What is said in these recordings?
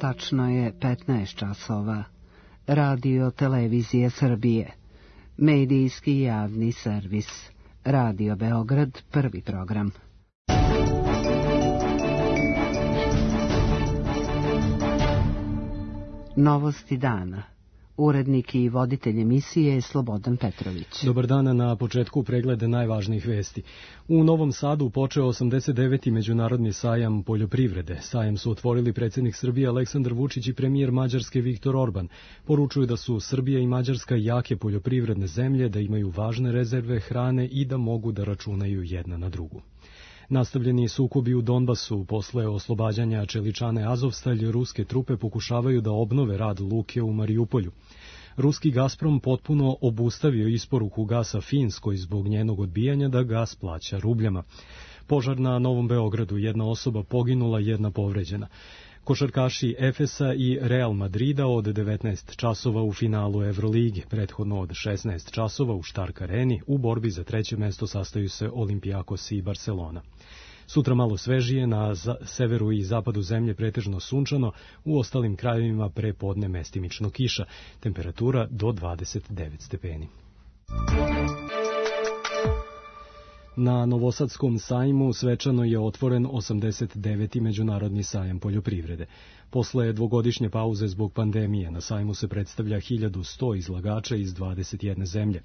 Tačno je 15 časova. Radio Televizije Srbije. Medijski javni servis. Radio Beograd, prvi program. Novosti dana. Urednik i voditelj emisije je Slobodan Petrović. Dobar dan, na početku pregleda najvažnijih vesti. U Novom Sadu počeo 89. Međunarodni sajam poljoprivrede. Sajam su otvorili predsjednik Srbije Aleksandar Vučić i premijer Mađarske Viktor Orban. Poručuju da su Srbija i Mađarska jake poljoprivredne zemlje, da imaju važne rezerve hrane i da mogu da računaju jedna na drugu. Nastavljeni sukobi u Donbasu. Posle oslobađanja čeličane Azovstalj, ruske trupe pokušavaju da obnove rad luke u Marijupolju. Ruski Gazprom potpuno obustavio isporuku gasa Finskoj zbog njenog odbijanja da gas plaća rubljama. Požar na Novom Beogradu, jedna osoba poginula, jedna povređena. Košarkaši Efesa i Real Madrida od 19 časova u finalu Evrolige, prethodno od 16 časova u Stark Areni, u borbi za treće mesto sastaju se Olimpijakos i Barcelona. Sutra malo svežije, na severu i zapadu zemlje pretežno sunčano, u ostalim krajevima pre podne mestimično kiša, temperatura do 29 stepeni. Na Novosadskom sajmu svečano je otvoren 89. Međunarodni sajam poljoprivrede. Posle dvogodišnje pauze zbog pandemije na sajmu se predstavlja 1100 izlagača iz 21 zemlje.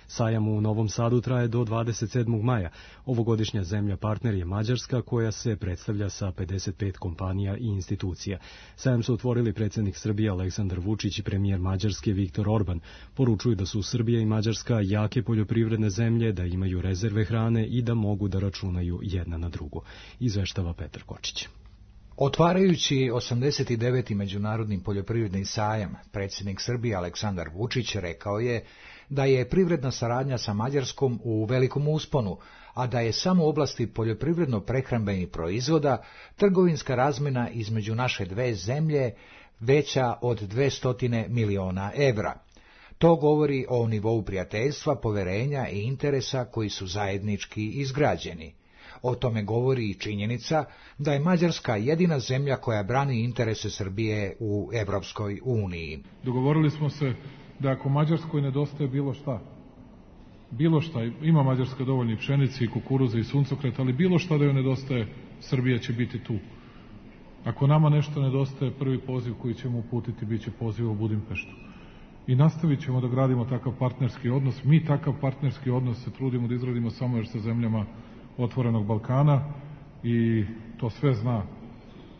Sajam u Novom Sadu traje do 27. maja. Ovogodišnja zemlja partner je Mađarska, koja se predstavlja sa 55 kompanija i institucija. Sajam su otvorili predsjednik Srbije Aleksandar Vučić i premijer Mađarske Viktor Orban. Poručuju da su Srbija i Mađarska jake poljoprivredne zemlje, da imaju rezerve hrane i da mogu da računaju jedna na drugu. Izveštava Petar Kočić. Otvarajući 89. Međunarodni poljoprivredni sajam, predsjednik Srbije Aleksandar Vučić rekao je da je privredna saradnja sa Mađarskom u velikom usponu, a da je samo u oblasti poljoprivredno-prehrambenih proizvoda trgovinska razmjena između naše dve zemlje veća od 200 miliona evra. To govori o nivou prijateljstva, poverenja i interesa koji su zajednički izgrađeni. O tome govori i činjenica da je Mađarska jedina zemlja koja brani interese Srbije u Evropskoj uniji. Dogovorili smo se da ako Mađarskoj nedostaje bilo šta, ima Mađarska dovoljno i pšenice i kukuruza i suncokreta, ali bilo šta da joj nedostaje, Srbija će biti tu. Ako nama nešto nedostaje, prvi poziv koji ćemo uputiti bit će poziv u Budimpeštu. I nastavit ćemo da gradimo takav partnerski odnos. Mi takav partnerski odnos se trudimo da izradimo samo još sa zemljama Otvorenog Balkana i to sve zna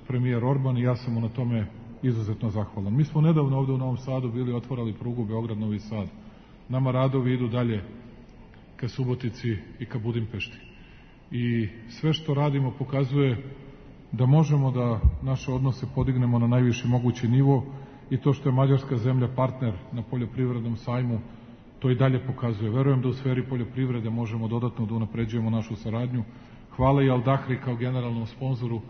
premijer Orban i ja sam mu na tome izuzetno zahvalan. Mi smo nedavno ovde u Novom Sadu bili otvarali prugu Beograd-Novi Sad. Nama radovi idu dalje ka Subotici i ka Budimpešti. I sve što radimo pokazuje da možemo da naše odnose podignemo na najviši mogući nivo i to što je Mađarska zemlja partner na poljoprivrednom sajmu, to i dalje pokazuje. Verujem da u sferi poljoprivrede možemo dodatno da unapređujemo našu saradnju. Hvala i Al-Dahri kao generalnom sponzoru.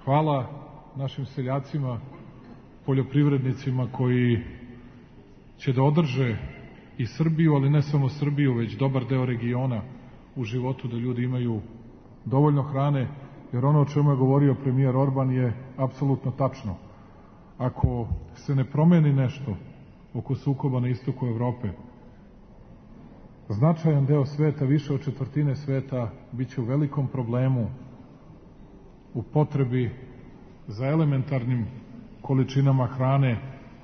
Hvala našim seljacima, poljoprivrednicima koji će da održe i Srbiju, ali ne samo Srbiju, već dobar deo regiona u životu, da ljudi imaju dovoljno hrane, jer ono o čemu je govorio premijer Orban je apsolutno tačno. Ako se ne promeni nešto oko sukoba na istoku Evrope, značajan deo sveta, više od četvrtine sveta, bit će u velikom problemu, u potrebi za elementarnim količinama hrane,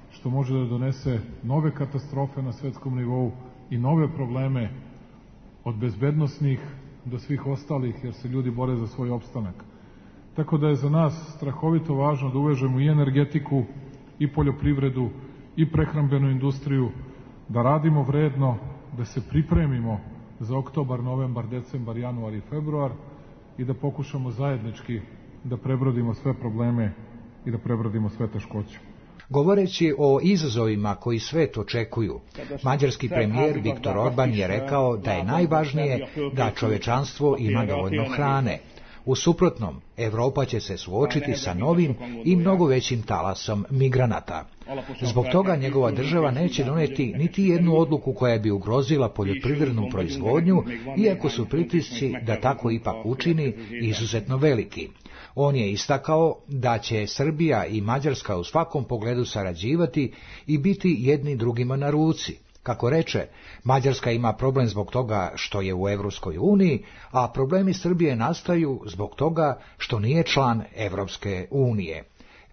što može da donese nove katastrofe na svetskom nivou i nove probleme od bezbednosnih do svih ostalih, jer se ljudi bore za svoj opstanak. Tako da je za nas strahovito važno da uvežemo i energetiku, i poljoprivredu, i prehrambenu industriju, da radimo vredno, da se pripremimo za oktobar, novembar, decembar, januar i februar i da pokušamo zajednički da prebrodimo sve probleme i da prebrodimo sve teškoće. Govoreći o izazovima koji svet očekuju, mađarski premijer Viktor Orban je rekao da je najvažnije da čovečanstvo ima dovoljno hrane. U suprotnom, Evropa će se suočiti sa novim i mnogo većim talasom migranata. Zbog toga njegova država neće doneti niti jednu odluku koja bi ugrozila poljoprivrednu proizvodnju, iako su pritisci da tako ipak učini izuzetno veliki. On je istakao da će Srbija i Mađarska u svakom pogledu sarađivati i biti jedni drugima na ruci. Kako reče, Mađarska ima problem zbog toga što je u Evropskoj uniji, a problemi Srbije nastaju zbog toga što nije član Evropske unije.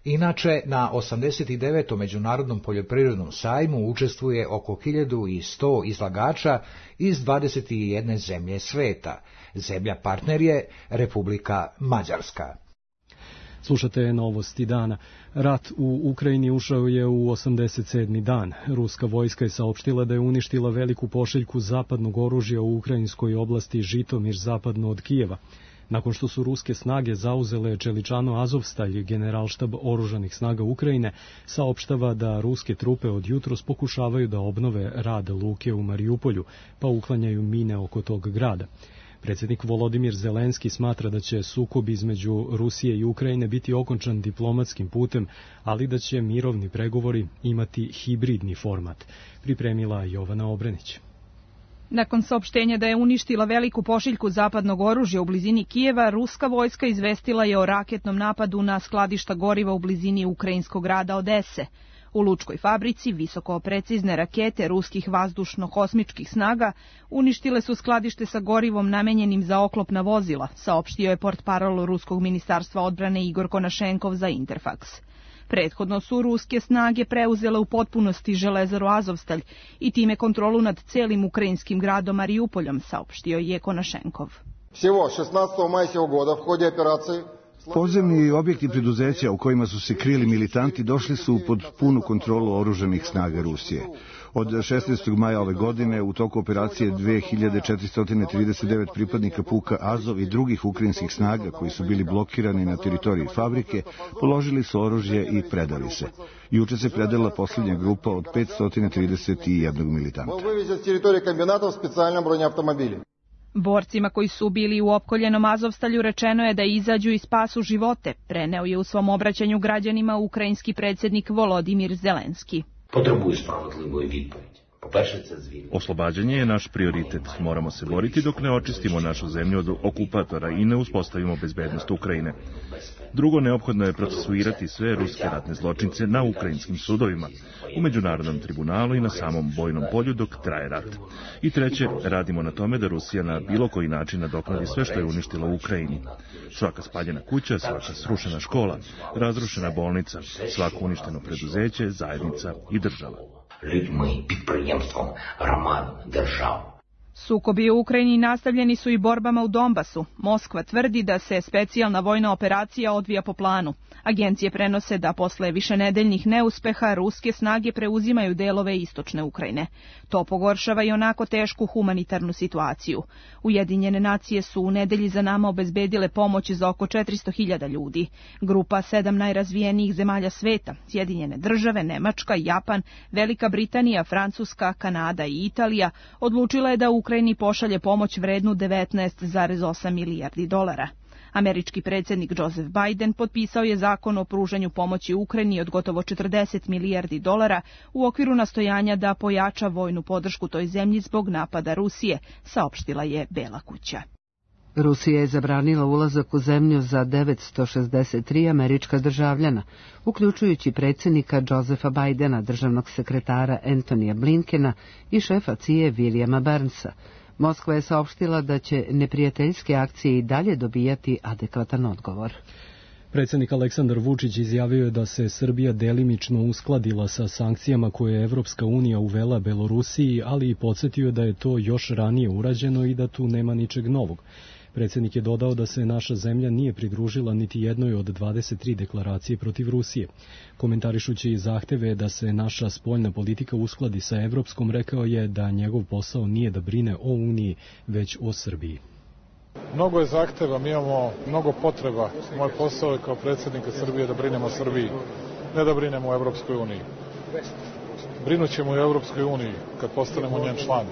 Inače, na 89. Međunarodnom poljoprivrednom sajmu učestvuje oko 1100 izlagača iz 21 zemlje sveta. Zemlja partner je Republika Mađarska. Slušate novosti dana. Rat u Ukrajini ušao je u 87. dan. Ruska vojska je saopštila da je uništila veliku pošiljku zapadnog oružja u ukrajinskoj oblasti Žitomir zapadno od Kijeva. Nakon što su ruske snage zauzele Čeličano Azovstalj, generalštab oružanih snaga Ukrajine saopštava da ruske trupe od jutros pokušavaju da obnove rad luke u Marijupolju, pa uklanjaju mine oko tog grada. Predsjednik Volodimir Zelenski smatra da će sukob između Rusije i Ukrajine biti okončan diplomatskim putem, ali da će mirovni pregovori imati hibridni format. Pripremila Jovana Obrenić. Nakon saopštenja da je uništila veliku pošiljku zapadnog oružja u blizini Kijeva, ruska vojska izvestila je o raketnom napadu na skladišta goriva u blizini ukrajinskog grada Odese. U lučkoj fabrici visoko precizne rakete ruskih vazdušno-kosmičkih snaga uništile su skladište sa gorivom namenjenim za oklopna vozila, saopštio je portparol Ruskog ministarstva odbrane Igor Konašenkov za Interfax. Prethodno su ruske snage preuzele u potpunosti železaru Azovstalj i time kontrolu nad celim ukrajinskim gradom Mariupoljom, saopštio je Konašenkov. Всего 16. мая сего года в ходе операции Podzemni objekti preduzeća u kojima su se krili militanti došli su pod punu kontrolu oružanih snaga Rusije. Od 16. maja ove godine u toku operacije 2439 pripadnika puka Azov i drugih ukrajinskih snaga koji su bili blokirani na teritoriji fabrike položili su oružje i predali se. Juče se predala posljednja grupa od 531 militanta. Borcima koji su bili u opkoljenom Azovstalju rečeno je da izađu i spasu živote, preneo je u svom obraćanju građanima ukrajinski predsjednik Volodimir Zelenski. Potrебує справедливої відповіді. По-перше, це звільнення. Oslobađanje je naš prioritet. Moramo se boriti dok ne očistimo našu zemlju od okupatora i ne uspostavimo bezbednost Ukrajine. Drugo, neophodno je procesuirati sve ruske ratne zločince na ukrajinskim sudovima, u međunarodnom tribunalu i na samom bojnom polju dok traje rat. I treće, radimo na tome da Rusija na bilo koji način nadoknadi sve što je uništila u Ukrajini. Svaka spaljena kuća, svaka srušena škola, razrušena bolnica, svako uništeno preduzeće, zajednica i država. Людьми, підприємством, громадами, державою. Sukobi u Ukrajini nastavljeni su i borbama u Donbasu. Moskva tvrdi da se specijalna vojna operacija odvija po planu. Agencije prenose da posle višenedeljnih neuspeha ruske snage preuzimaju delove istočne Ukrajine. To pogoršava i onako tešku humanitarnu situaciju. Ujedinjene nacije su u nedelji za nama obezbedile pomoć za oko 400.000 ljudi. Grupa 7 najrazvijenijih zemalja sveta, Sjedinjene države, Nemačka, Japan, Velika Britanija, Francuska, Kanada i Italija, odlučila je da Ukrajini pošalje pomoć vrednu 19,8 milijardi dolara. Američki predsjednik Joseph Biden potpisao je zakon o pružanju pomoći Ukrajini od gotovo 40 milijardi dolara u okviru nastojanja da pojača vojnu podršku toj zemlji zbog napada Rusije, saopštila je Bela kuća. Rusija je zabranila ulazak u zemlju za 963 američka državljana, uključujući predsjednika Josepha Bidena, državnog sekretara Antonija Blinkena i šefa CIA Williama Burnsa. Moskva je saopštila da će neprijateljske akcije i dalje dobijati adekvatan odgovor. Predsjednik Aleksandar Vučić izjavio je da se Srbija delimično uskladila sa sankcijama koje je Evropska unija uvela Belorusiji, ali i podsjetio da je to još ranije urađeno i da tu nema ničeg novog. Predsjednik je dodao da se naša zemlja nije pridružila niti jednoj od 23 deklaracije protiv Rusije. Komentarišući zahteve da se naša spoljna politika uskladi sa evropskom, rekao je da njegov posao nije da brine o Uniji, već o Srbiji. Mnogo je zahteva, mi imamo mnogo potreba. Moj posao je kao predsjednika Srbije da brinemo o Srbiji, ne da brinemo o Evropskoj uniji. Brinut ćemo i o Evropskoj uniji kad postanemo njen član.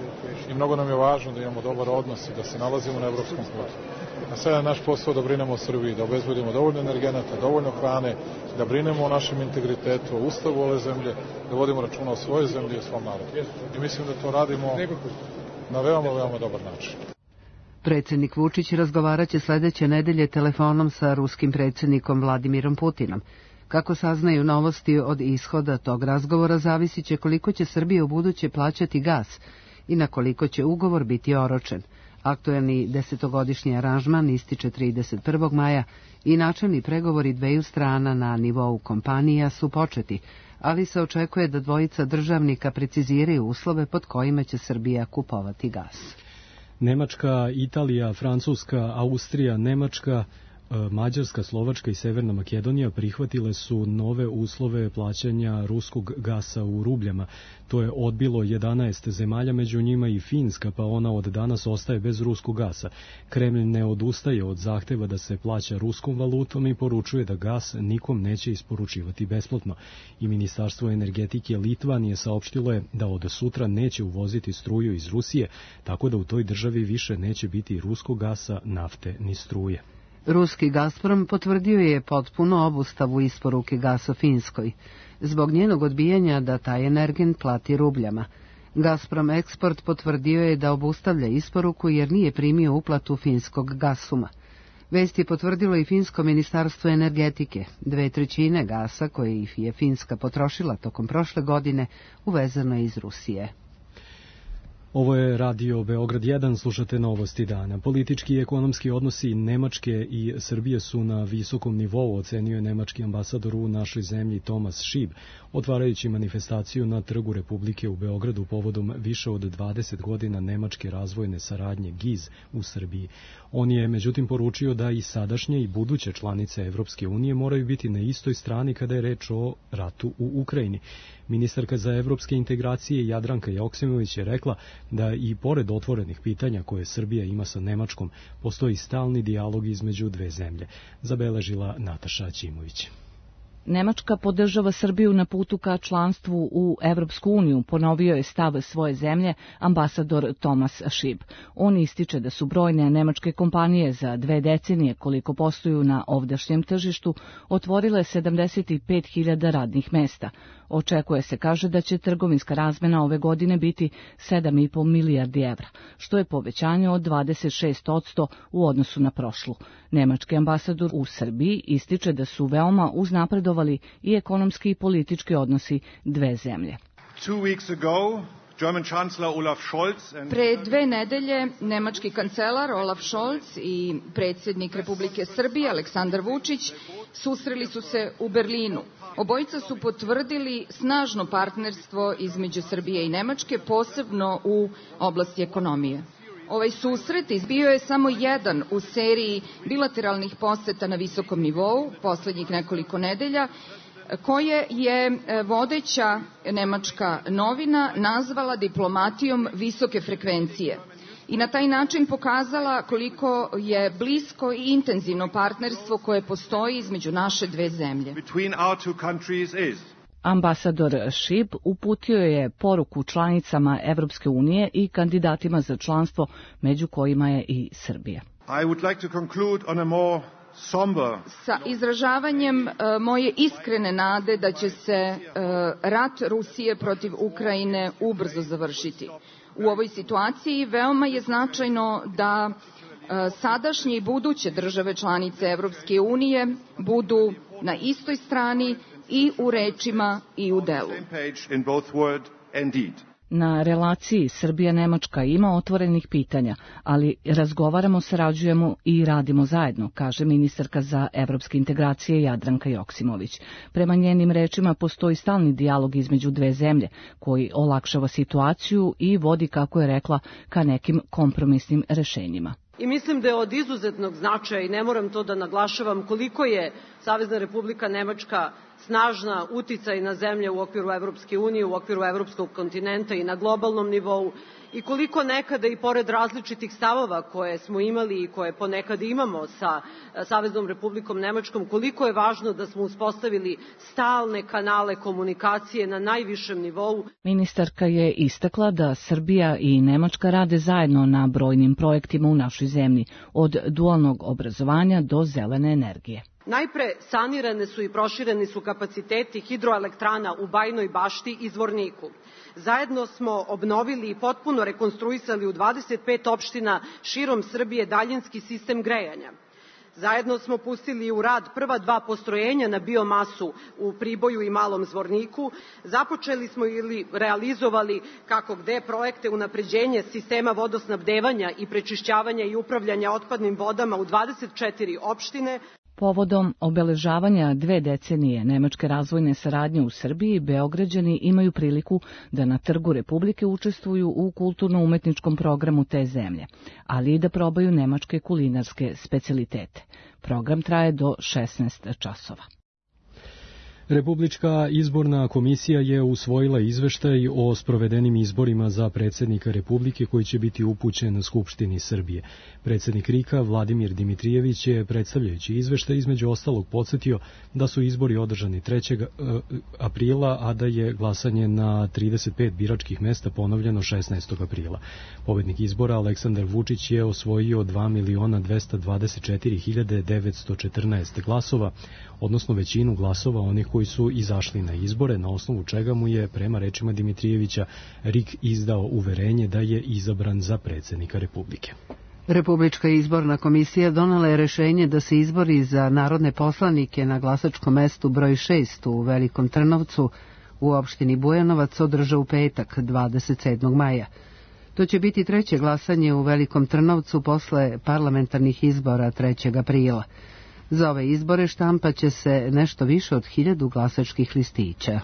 I mnogo nam je važno da imamo dobar odnos i da se nalazimo na evropskom putu. A sada je naš posao da brinemo o Srbiji, da obezbedimo dovoljno energenata, dovoljno hrane, da brinemo o našem integritetu, o ustavu ove zemlje, da vodimo računa o svojoj zemlji i o svom narodu. I mislim da to radimo na veoma dobar način. Predsjednik Vučić razgovaraće sledeće nedelje telefonom sa ruskim predsjednikom Vladimirom Putinom. Kako saznaju novosti od ishoda tog razgovora, zavisit će koliko će Srbija u buduće plaćati gas i na koliko će ugovor biti oročen. Aktuelni 10-godišnji aranžman ističe 31. maja i načelni pregovori dveju strana na nivou kompanija su početi, ali se očekuje da dvojica državnika preciziraju uslove pod kojima će Srbija kupovati gas. Nemačka, Italija, Francuska, Austrija, Nemačka, Mađarska, Slovačka i Severna Makedonija prihvatile su nove uslove plaćanja ruskog gasa u rubljama. To je odbilo 11 zemalja, među njima i Finska, pa ona od danas ostaje bez ruskog gasa. Kremlj ne odustaje od zahteva da se plaća ruskom valutom i poručuje da gas nikom neće isporučivati besplatno. I Ministarstvo energetike Litvanije saopštilo je da od sutra neće uvoziti struju iz Rusije, tako da u toj državi više neće biti ruskog gasa, nafte ni struje. Ruski Gazprom potvrdio je potpuno obustavu isporuke gasa Finskoj, zbog njenog odbijanja da taj energent plati rubljama. Gazprom Eksport potvrdio je da obustavlja isporuku jer nije primio uplatu finskog Gasuma. Vest je potvrdilo i finsko ministarstvo energetike. 2/3 gasa koje je Finska potrošila tokom prošle godine uvezano je iz Rusije. Ovo je Radio Beograd 1, slušate novosti dana. Politički i ekonomski odnosi Nemačke i Srbije su na visokom nivou, ocenio je nemački ambasador u našoj zemlji Thomas Schieb, otvarajući manifestaciju na Trgu Republike u Beogradu povodom više od 20 godina nemačke razvojne saradnje GIZ u Srbiji. On je međutim poručio da i sadašnje i buduće članice Evropske unije moraju biti na istoj strani kada je reč o ratu u Ukrajini. Ministarka za evropske integracije Jadranka Joksimović je rekla da i pored otvorenih pitanja koje Srbija ima sa Nemačkom, postoji stalni dijalog između dve zemlje, zabeležila Nataša Ćimović. Nemačka podržava Srbiju na putu ka članstvu u Evropsku uniju, ponovio je stav svoje zemlje ambasador Thomas Schieb. On ističe da su brojne nemačke kompanije za 2 decenije koliko posluju na ovdašnjem tržištu otvorile 75.000 radnih mesta. Očekuje se, kaže, da će trgovinska razmena ove godine biti 7,5 milijardi evra, što je povećanje od 26% u odnosu na prošlu. Nemački ambasador u Srbiji ističe da su veoma uznapredovali i ekonomski i politički odnosi dve zemlje. Pre 2 nedelje nemački kancelar Olaf Scholz i predsjednik Republike Srbije Aleksandar Vučić susreli su se u Berlinu. Obojica su potvrdili snažno partnerstvo između Srbije i Nemačke, posebno u oblasti ekonomije. Ovaj susret izbio je samo jedan u seriji bilateralnih poseta na visokom nivou poslednjih nekoliko nedelja, koje je vodeća nemačka novina nazvala diplomatijom visoke frekvencije i na taj način pokazala koliko je blisko i intenzivno partnerstvo koje postoji između naše dve zemlje. Ambasador Schieb uputio je poruku članicama Evropske unije i kandidatima za članstvo, među kojima je i Srbija. Sa izražavanjem moje iskrene nade da će se rat Rusije protiv Ukrajine ubrzo završiti. U ovoj situaciji veoma je značajno da sadašnje i buduće države članice Evropske unije budu na istoj strani i u rečima i u delu. Na relaciji Srbija-Nemačka ima otvorenih pitanja, ali razgovaramo, sarađujemo i radimo zajedno, kaže ministarka za evropske integracije Jadranka Joksimović. Prema njenim rečima postoji stalni dijalog između dve zemlje, koji olakšava situaciju i vodi, kako je rekla, ka nekim kompromisnim rešenjima. I mislim da je od izuzetnog značaja, i ne moram to da naglašavam, koliko je Savezna Republika Nemačka snažna uticajna zemlja u okviru Evropske unije, u okviru evropskog kontinenta i na globalnom nivou, i koliko nekada i pored različitih stavova koje smo imali i koje ponekad imamo sa Saveznom Republikom Nemačkom, koliko je važno da smo uspostavili stalne kanale komunikacije na najvišem nivou. Ministarka je istakla da Srbija i Nemačka rade zajedno na brojnim projektima u našoj zemlji, od dualnog obrazovanja do zelene energije. Najpre sanirane su i prošireni su kapaciteti hidroelektrana u Bajnoj Bašti i Zvorniku. Zajedno smo obnovili i potpuno rekonstruisali u 25 opština širom Srbije daljinski sistem grejanja. Zajedno smo pustili u rad prva 2 postrojenja na biomasu u Priboju i Malom Zvorniku. Započeli smo ili realizovali kako gde projekte unapređenja sistema vodosnabdevanja i prečišćavanja i upravljanja otpadnim vodama u 24 opštine. Povodom obeležavanja 2 decenije nemačke razvojne saradnje u Srbiji, Beograđani imaju priliku da na Trgu Republike učestvuju u kulturno-umetničkom programu te zemlje, ali i da probaju nemačke kulinarske specijalitete. Program traje do 16 časova. Republička izborna komisija je usvojila izveštaj o sprovedenim izborima za predsjednika Republike koji će biti upućen Skupštini Srbije. Predsjednik RIK-a Vladimir Dimitrijević je, predstavljajući izveštaj, između ostalog podsjetio da su izbori održani 3. aprila, a da je glasanje na 35 biračkih mesta ponovljeno 16. aprila. Pobednik izbora Aleksandar Vučić je osvojio 2.224.914 glasova, odnosno većinu glasova onih koji su izašli na izbore, na osnovu čega mu je, prema rečima Dimitrijevića, RIK izdao uverenje da je izabran za predsjednika Republike. Republička izborna komisija donela je rešenje da se izbori za narodne poslanike na glasačkom mestu broj 6 u Velikom Trnovcu u opštini Bujanovac održe u petak, 27. maja. To će biti 3. glasanje u Velikom Trnovcu posle parlamentarnih izbora 3. aprila. Za ove izbore štampaće se nešto više od 1000 glasačkih listića.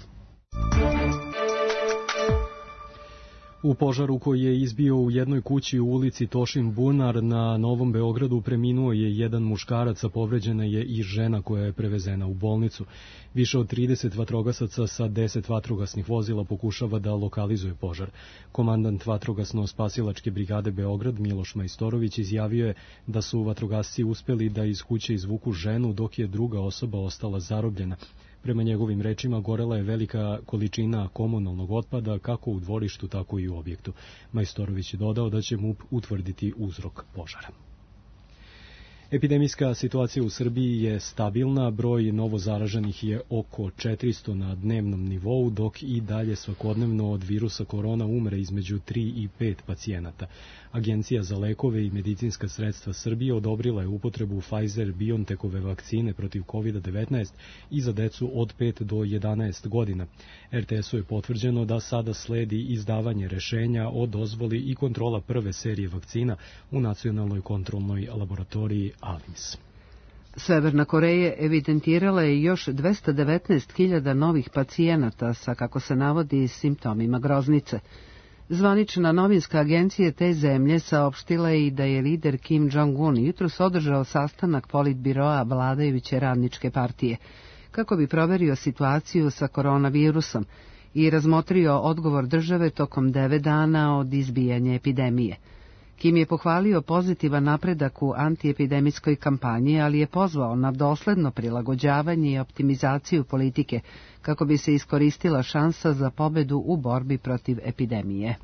U požaru koji je izbio u jednoj kući u ulici Tošin Bunar na Novom Beogradu preminuo je jedan muškarac, a povređena je i žena koja je prevezena u bolnicu. Više od 30 vatrogasaca sa 10 vatrogasnih vozila pokušava da lokalizuje požar. Komandant vatrogasno-spasilačke brigade Beograd Miloš Majstorović izjavio je da su vatrogasci uspeli da iz kuće izvuku ženu dok je druga osoba ostala zarobljena. Prema njegovim rečima, gorela je velika količina komunalnog otpada kako u dvorištu, tako i u objektu. Majstorović je dodao da će MUP utvrditi uzrok požara. Epidemijska situacija u Srbiji je stabilna, broj novozaraženih je oko 400 na dnevnom nivou, dok i dalje svakodnevno od virusa korona umre između 3 i 5 pacijenata. Agencija za lekove i medicinska sredstva Srbije odobrila je upotrebu Pfizer-BioNTechove vakcine protiv COVID-19 i za decu od 5 do 11 godina. RTS-u je potvrđeno da sada sledi izdavanje rešenja o dozvoli i kontrola prve serije vakcina u nacionalnoj kontrolnoj laboratoriji ALIMS. Severna Koreja evidentirala je još 219.000 novih pacijenata sa, kako se navodi, simptomima groznice. Zvanična novinska agencija te zemlje saopštila je i da je lider Kim Jong-un jutros održao sastanak politbiroa vladajuće radničke partije, kako bi proverio situaciju sa koronavirusom i razmotrio odgovor države tokom 9 dana od izbijanja epidemije. Kim je pohvalio pozitivan napredak u antiepidemijskoj kampanji, ali je pozvao na dosledno prilagođavanje i optimizaciju politike kako bi se iskoristila šansa za pobedu u borbi protiv epidemije.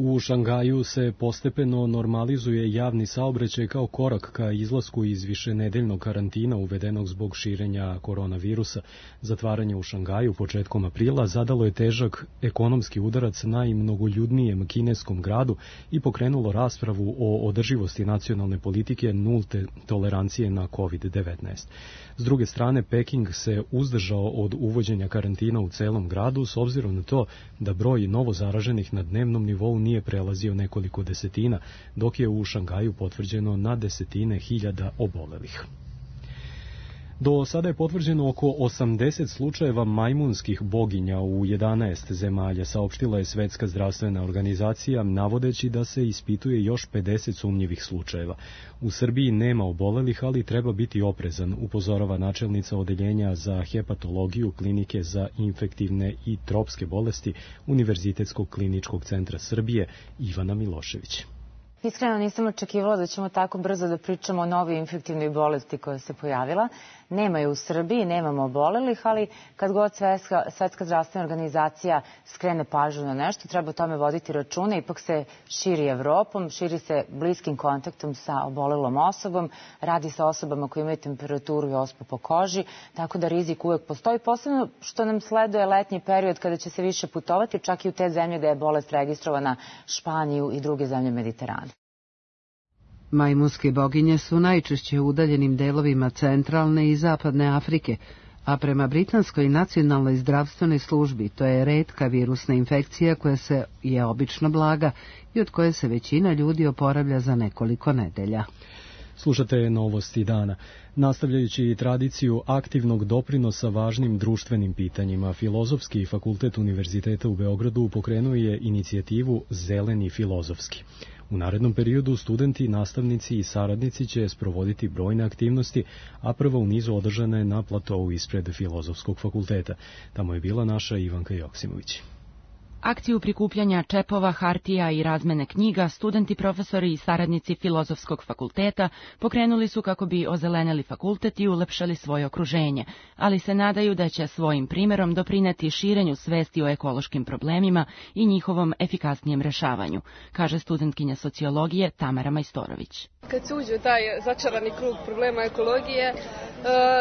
U Šangaju se postepeno normalizuje javni saobraćaj kao korak ka izlasku iz višenedeljnog karantina uvedenog zbog širenja koronavirusa. Zatvaranje u Šangaju početkom aprila zadalo je težak ekonomski udarac najmnogoljudnijem kineskom gradu i pokrenulo raspravu o održivosti nacionalne politike nulte tolerancije na COVID-19. S druge strane, Peking se uzdržao od uvođenja karantina u celom gradu s obzirom na to da broj novozaraženih na dnevnom nivou nije prelazio nekoliko desetina, dok je u Šangaju potvrđeno na desetine hiljada obolelih. Do sada je potvrđeno oko 80 slučajeva majmunskih boginja u 11 zemalja, saopštila je Svetska zdravstvena organizacija, navodeći da se ispituje još 50 sumnjivih slučajeva. U Srbiji nema obolelih, ali treba biti oprezan, upozorava načelnica odeljenja za hepatologiju Klinike za infektivne i tropske bolesti Univerzitetskog kliničkog centra Srbije Ivana Milošević. Iskreno nisam očekivala da ćemo tako brzo da pričamo o novoj infektivnoj bolesti koja se pojavila. Nema je u Srbiji, nemamo obolelih, ali kad god Svetska zdravstvena organizacija skrene pažnju na nešto, treba o tome voditi računa. Ipak se širi Evropom, širi se bliskim kontaktom sa obolelom osobom, radi sa osobama koje imaju temperaturu i ospu po koži, tako da rizik uvek postoji. Posebno što nam sleduje letnji period kada će se više putovati, čak i u te zemlje gde je bolest registrovana, Španiju i druge zemlje Mediterana. Majmunske boginje su najčešće u udaljenim delovima centralne i zapadne Afrike, a prema Britanskoj nacionalnoj zdravstvenoj službi to je retka virusna infekcija koja je obično blaga i od koje se većina ljudi oporavlja za nekoliko nedelja. Slušate Novosti dana. Nastavljajući tradiciju aktivnog doprinosa važnim društvenim pitanjima, Filozofski fakultet Univerziteta u Beogradu pokrenuo je inicijativu Zeleni filozofski. U narednom periodu studenti, nastavnici i saradnici će sprovoditi brojne aktivnosti, a prva u nizu održana je na platovu ispred Filozofskog fakulteta. Tamo je bila naša Ivanka Joksimović. Akciju prikupljanja čepova, hartija i razmene knjiga studenti, profesori i saradnici Filozofskog fakulteta pokrenuli su kako bi ozelenili fakultet i ulepšali svoje okruženje, ali se nadaju da će svojim primerom doprineti širenju svesti o ekološkim problemima i njihovom efikasnijem rešavanju, kaže studentkinja sociologije Tamara Majstorović. Kad se uđe u taj začarani krug problema ekologije,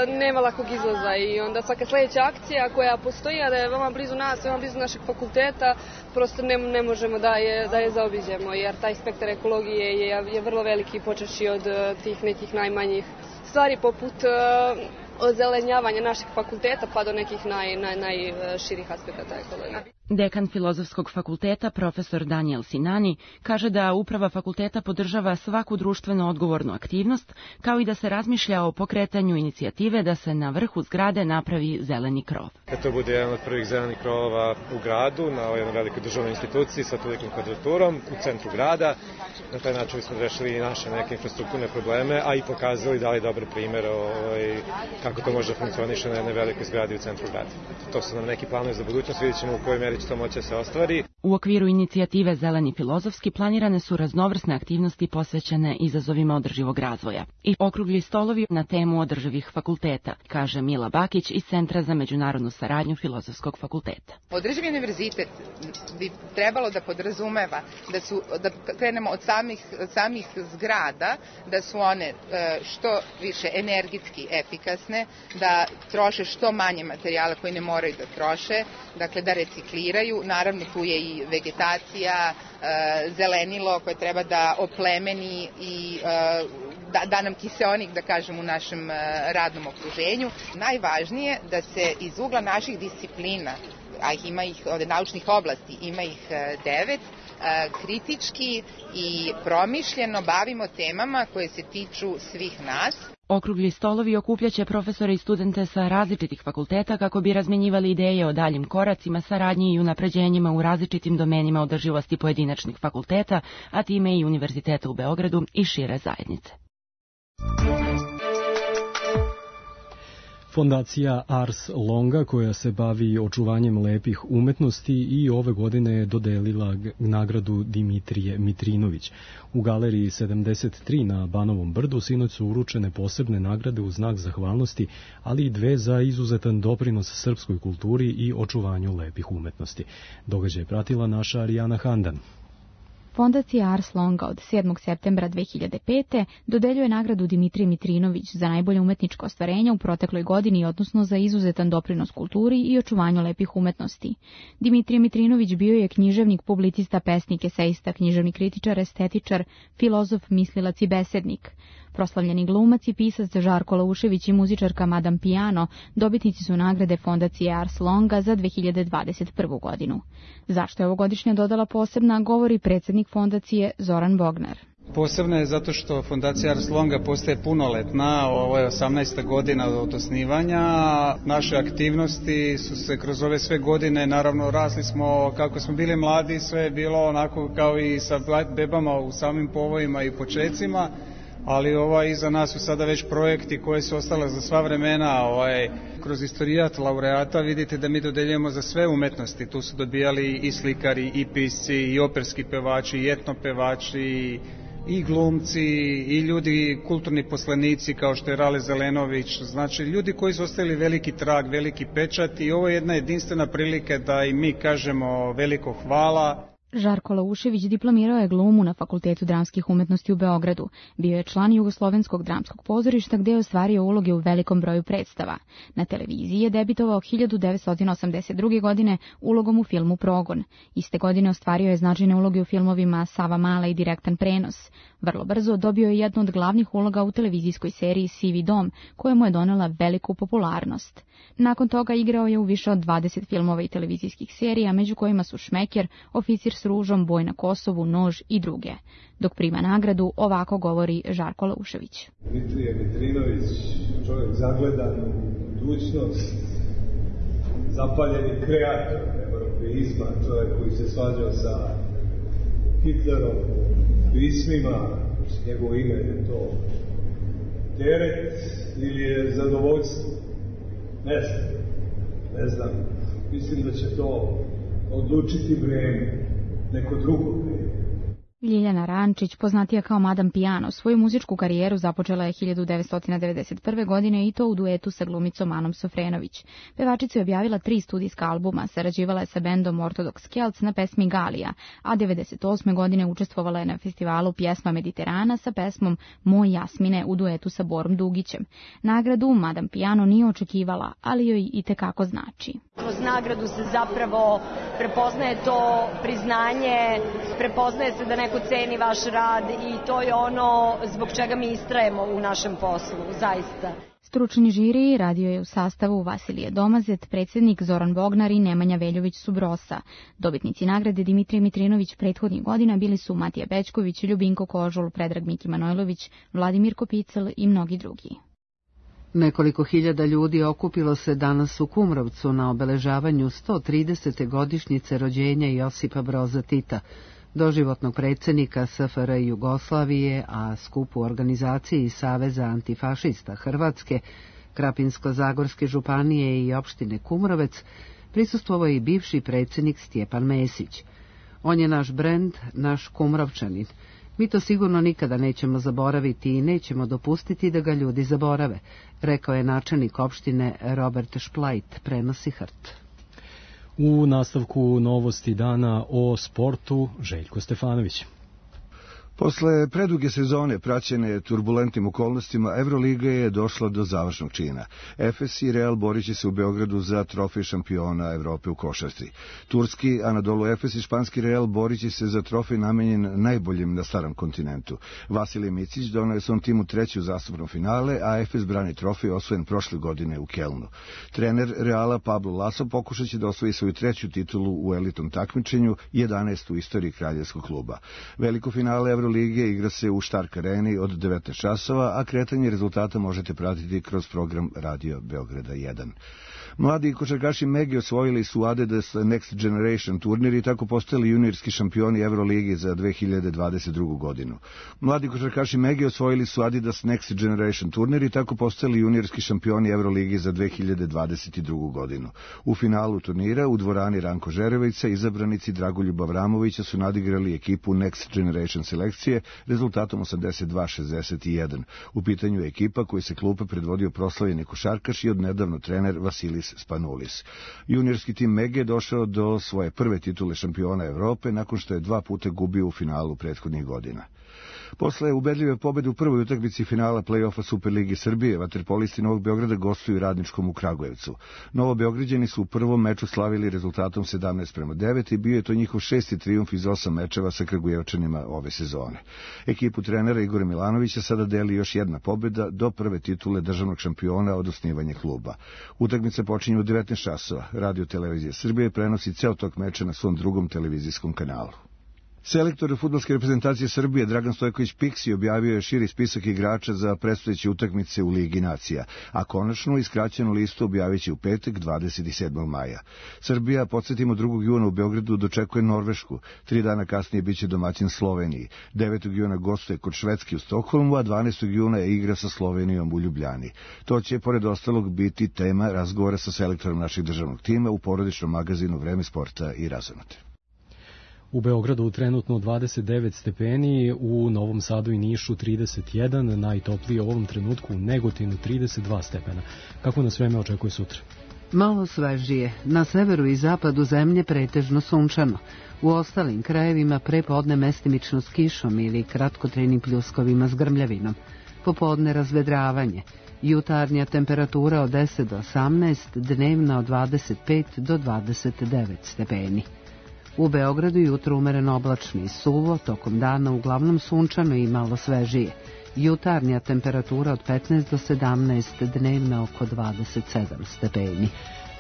nema lakog izlaza i onda svaka sledeća akcija koja postoji, a da je veoma blizu nas, veoma blizu našeg fakulteta, prosto ne možemo da je zaobiđemo, jer taj spektar ekologije je vrlo veliki, počeši od tih nekih najmanjih stvari poput ozelenjavanja našeg fakulteta pa do nekih najširih aspekata ekologije. Dekan Filozofskog fakulteta, profesor Daniel Sinani, kaže da uprava fakulteta podržava svaku društveno odgovornu aktivnost, kao i da se razmišlja o pokretanju inicijative da se na vrhu zgrade napravi zeleni krov. To bude jedan od prvih zelenih krovova u gradu, na jednoj velikoj državnoj instituciji sa tolikom kvadraturom u centru grada. Na taj način smo rešili i naše neke infrastrukturne probleme, a i pokazali dali dobar primer kako to može funkcioniše na jednoj velikoj zgradi u centru grada. To su nam neki planovi za budućnost, vidjet ćemo u kojoj meri će to moći se ostvari. U okviru inicijative Zeleni filozofski planirane su raznovrsne aktivnosti posvećene izazovima održivog razvoja i okrugli stolovi na temu održivih fakulteta, kaže Mila Bakić iz Centra za međunarodnu saradnju Filozofskog fakulteta. Održivi univerzitet bi trebalo da podrazumeva da krenemo od samih zgrada, da su one što više energetski efikasne, da troše što manje materijala koji ne moraju da troše, dakle da recikliraju. Naravno tu je i vegetacija, zelenilo koje treba da oplemeni i da nam kiseonik, da kažem, u našem radnom okruženju. Najvažnije da se iz ugla naših disciplina, a ima ih od naučnih oblasti, ima ih 9, kritički i promišljeno bavimo temama koje se tiču svih nas. Okrugli stolovi okupljaće profesore i studente sa različitih fakulteta kako bi razmenjivali ideje o daljim koracima, saradnji i unapređenjima u različitim domenima održivosti pojedinačnih fakulteta, a time i Univerziteta u Beogradu i šire zajednice. Fondacija Ars Longa, koja se bavi očuvanjem lepih umetnosti, i ove godine je dodelila nagradu Dimitrije Mitrinović. U galeriji 73 na Banovom brdu sinoć su uručene posebne nagrade u znak zahvalnosti, ali i 2 za izuzetan doprinos srpskoj kulturi i očuvanju lepih umetnosti. Događaj je pratila naša Arijana Handan. Fondacija Ars Longa od 7. septembra 2005. dodeljuje nagradu Dimitrije Mitrinović za najbolje umetničko ostvarenje u protekloj godini, odnosno za izuzetan doprinos kulturi i očuvanju lepih umetnosti. Dimitrije Mitrinović bio je književnik, publicista, pesnik, esejista, književni kritičar, estetičar, filozof, mislilac i besednik. Proslavljeni glumac i pisac Žarko Laušević i muzičarka Madame Piano dobitnici su nagrade Fondacije Ars Longa za 2021. godinu. Zašto je ovogodišnja dodala posebna, govori predsjednik fondacije Zoran Bognar. Posebno je zato što Fondacija Ars Longa postaje punoletna, ovo je 18. godina od osnivanja. Naše aktivnosti su se kroz ove sve godine, naravno rasli smo kako smo bili mladi, sve je bilo onako kao i sa bebama u samim povojima i počecima, ali iza nas su sada već projekti koji su ostale za sva vremena. Kroz istorijat laureata vidite da mi dodeljujemo za sve umetnosti, tu su dobijali i slikari, i pisci, i operski pevači, i etnopevači, i glumci, i ljudi, kulturni poslanici kao što je Rale Zelenović, znači ljudi koji su ostavili veliki trag, veliki pečat i ovo je jedna jedinstvena prilika da i mi kažemo veliko hvala. Žarko Laušević diplomirao je glumu na Fakultetu dramskih umetnosti u Beogradu. Bio je član Jugoslovenskog dramskog pozorišta gde je ostvario uloge u velikom broju predstava. Na televiziji je debitovao 1982. godine ulogom u filmu Progon. Iste godine ostvario je značajne uloge u filmovima Sava Mala i Direktan prenos. Vrlo brzo dobio je jednu od glavnih uloga u televizijskoj seriji Sivi dom, koja mu je donela veliku popularnost. Nakon toga igrao je u više od 20 filmova i televizijskih serija, među kojima su Šmeker, Oficir s ružom, Boj na Kosovu, Nož i druge. Dok prima nagradu, ovako govori Žarko Laušević. Dimitrije Mitrinović, čovjek zagledan u budućnost, zapaljeni kreator europeizma, čovjek koji se svađao sa Hitlerom u pismima, njegovo ime je to teret ili je zadovoljstvo. Ne znam, mislim da će to odlučiti vreme, neko drugo vreme. Ljiljana Rančić, poznatija kao Madam Piano, svoju muzičku karijeru započela je 1991. godine i to u duetu sa glumicom Anom Sofrenović. Pevačica je objavila 3 studijska albuma, sarađivala je sa bendom Ortodox Kelts na pesmi Galija, a 1998. godine učestvovala je na festivalu Pjesma Mediterana sa pesmom Moj Jasmine u duetu sa Borom Dugićem. Nagradu Madam Piano nije očekivala, ali joj i tekako znači. Kroz nagradu se zapravo prepoznaje to priznanje, prepoznaje se da neko ceni vaš rad i to je ono zbog čega mi istrajemo u našem poslu, zaista. Stručni žiri radio je u sastavu Vasilije Domazet, predsjednik Zoran Bognar i Nemanja Veljović Subrosa. Dobitnici nagrade Dimitrije Mitrinović prethodnih godina bili su Matija Bećković, Ljubinko Kožul, Predrag Miki Manojlović, Vladimir Kopicel i mnogi drugi. Nekoliko hiljada ljudi okupilo se danas u Kumrovcu na obeležavanju 130. godišnjice rođenja Josipa Broza Tita, doživotnog predsjednika SFRJ Jugoslavije, a skup u organizaciji Saveza antifašista Hrvatske, Krapinsko-Zagorske županije i opštine Kumrovec prisustvovao je i bivši predsjednik Stjepan Mesić. On je naš brend, naš Kumrovčanin. Mi to sigurno nikada nećemo zaboraviti i nećemo dopustiti da ga ljudi zaborave, rekao je načelnik opštine Robert Šplajt, prenosi HRT. U nastavku novosti dana o sportu, Željko Stefanović. Posle preduge sezone praćene turbulentnim okolnostima, Euroliga je došla do završnog čina. Efes i Real borit će se u Beogradu za trofej šampiona Evrope u košarci. Turski Anadolu Efes i španski Real borit će se za trofej namenjen najboljim na starom kontinentu. Vasilij Micić donao je svom timu 3. uzastopno finale, a Efes brani trofej osvojen prošle godine u Kelnu. Trener Reala Pablo Laso pokušat će da osvoji svoju 3. titulu u elitnom takmičenju, 11. u istoriji kraljevskog kluba. Veliko finale Lige igra se u Stark Areni od 19 časova, a kretanje rezultata možete pratiti kroz program Radio Beograda 1. Mladi košarkaši Mege osvojili su Adidas Next Generation turnir i tako postali juniorski šampioni Euroligi za 2022. godinu. Mladi košarkaši Mege osvojili su Adidas Next Generation turnir i tako postali juniorski šampioni Euroligi za 2022. godinu. U finalu turnira u dvorani Ranko Žerevića izabranici Dragoljuba Avramovića su nadigrali ekipu Next Generation selekcije rezultatom 82-61. U pitanju je ekipa koji se klupe predvodio proslavljeni košarkaš i odnedavno trener Vasilis Spanulis. Juniorski tim Mege došao do svoje prve titule šampiona Evrope nakon što je 2 puta gubio u finalu prethodnih godina. Posle ubedljive pobede u prvoj utakmici finala play-offa Superligi Srbije, vaterpolisti Novog Beograda gostuju Radničkom u Kragujevcu. Novobeograđani su u prvom meču slavili rezultatom 17-9 i bio je to njihov 6. trijumf iz 8 mečeva sa Kragujevčanima ove sezone. Ekipu trenera Igora Milanovića sada deli još jedna pobeda do prve titule državnog šampiona od osnivanja kluba. Utakmica počinje u 19 časova. Radio Televizija Srbije prenosi ceo tok meča na svom drugom televizijskom kanalu. Selektor fudbalske reprezentacije Srbije Dragan Stojković Piksi objavio je širi spisak igrača za predstojeće utakmice u Ligi nacija, a konačnu i skraćenu listu objavit će u petak 27. maja. Srbija, podsjetimo, 2. juna u Beogradu dočekuje Norvešku, 3 dana kasnije biće domaćin Sloveniji, 9. juna gostuje kod Švedske u Stokholmu, a 12. juna je igra sa Slovenijom u Ljubljani. To će, pored ostalog, biti tema razgovora sa selektorom našeg državnog tima u porodičnom magazinu Vreme sporta i razonate. U Beogradu trenutno 29 stepeni, u Novom Sadu i Nišu 31, najtoplije u ovom trenutku u Negotinu 32 stepena. Kako nas vreme očekuje sutra? Malo svežije, na severu i zapadu zemlje pretežno sunčano. U ostalim krajevima prepodne mestimično s kišom ili kratkotrajnim pljuskovima s grmljavinom. Popodne razvedravanje. Jutarnja temperatura od 10 do 18, dnevna od 25 do 29 stepeni. U Beogradu jutro umereno oblačno i suvo, tokom dana uglavnom sunčano i malo svežije. Jutarnja temperatura od 15 do 17, dnevna oko 27 stepeni.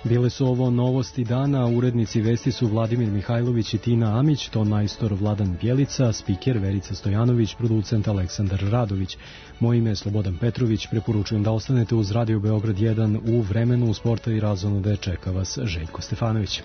Bile su ovo novosti dana, urednici vesti su Vladimir Mihajlović i Tina Amić, ton majstor Vladan Bjelica, spiker Verica Stojanović, producent Aleksandar Radović. Moje ime je Slobodan Petrović, preporučujem da ostanete uz Radio Beograd 1 u vremenu sporta i razonode, čeka vas Željko Stefanović.